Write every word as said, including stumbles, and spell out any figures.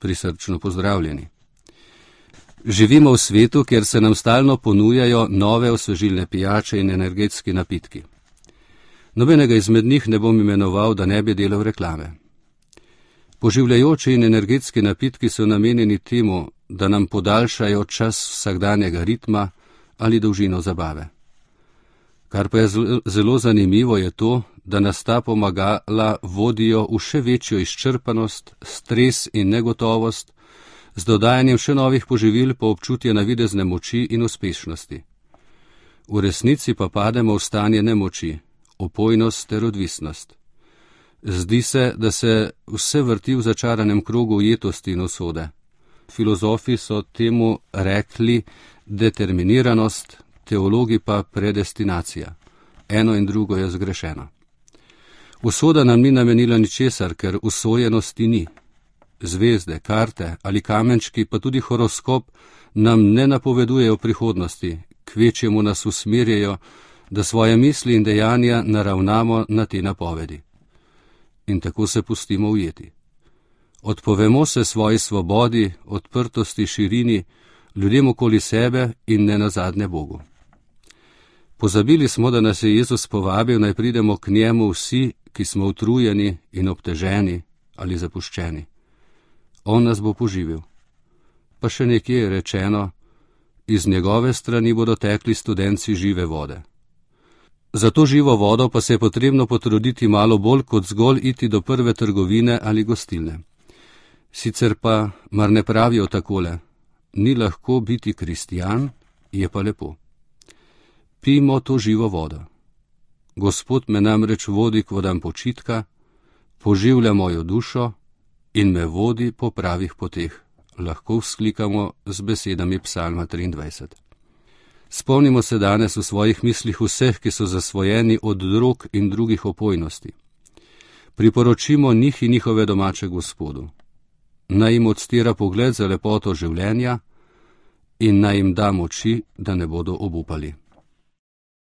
Prisrčno pozdravljeni. Živimo v svetu, kjer se nam stalno ponujajo nove osvežilne pijače in energetski napitki. Nobenega izmed njih ne bom imenoval, da ne bi delal reklame. Poživljajoči in energetski napitki so namenjeni temu, da nam podaljšajo čas vsakdanjega ritma ali dolžino zabave. Kar pa je zelo zanimivo je to, da nas ta pomagala vodijo v še večjo izčrpanost, stres in negotovost, z dodajanjem še novih poživil pa občutje navidezne moči in uspešnosti. V resnici pa pademo v stanje nemoči, opojnost ter odvisnost. Zdi se, da se vse vrti v začaranem krogu ujetosti in usode. Filozofi so temu rekli determiniranost, teologi pa predestinacija. Eno in drugo je zgrešeno. Usoda nam ni namenila ničesar, ker usojenosti ni. Zvezde, karte ali kamenčki, pa tudi horoskop nam ne napovedujejo prihodnosti, kvečjemu nas usmerjajo, da svoje misli in dejanja naravnamo na te napovedi. In tako se pustimo ujeti. Odpovemo se svoji svobodi, odprtosti, širini, ljudem okoli sebe in ne nazadnje Bogu. Pozabili smo, da nas je Jezus povabil, naj pridemo k njemu vsi, ki smo utrujeni in obteženi ali zapuščeni. On nas bo poživil. Pa še nekje je rečeno, iz njegove strani bodo tekli studenci žive vode. Za to živo vodo pa se je potrebno potruditi malo bolj, kot zgolj iti do prve trgovine ali gostilne. Sicer pa, mar ne pravijo takole, ni lahko biti kristjan, je pa lepo. Pijmo to živo vodo. Gospod me namreč vodi k vodam počitka, poživlja mojo dušo in me vodi po pravih poteh, lahko vzklikamo z besedami Psalma triindvajset. Spomnimo se danes v svojih mislih vseh, ki so zasvojeni od drog in drugih opojnosti. Priporočimo njih in njihove domače Gospodu. Naj jim odstira pogled za lepoto življenja in naj jim da moči, da ne bodo obupali.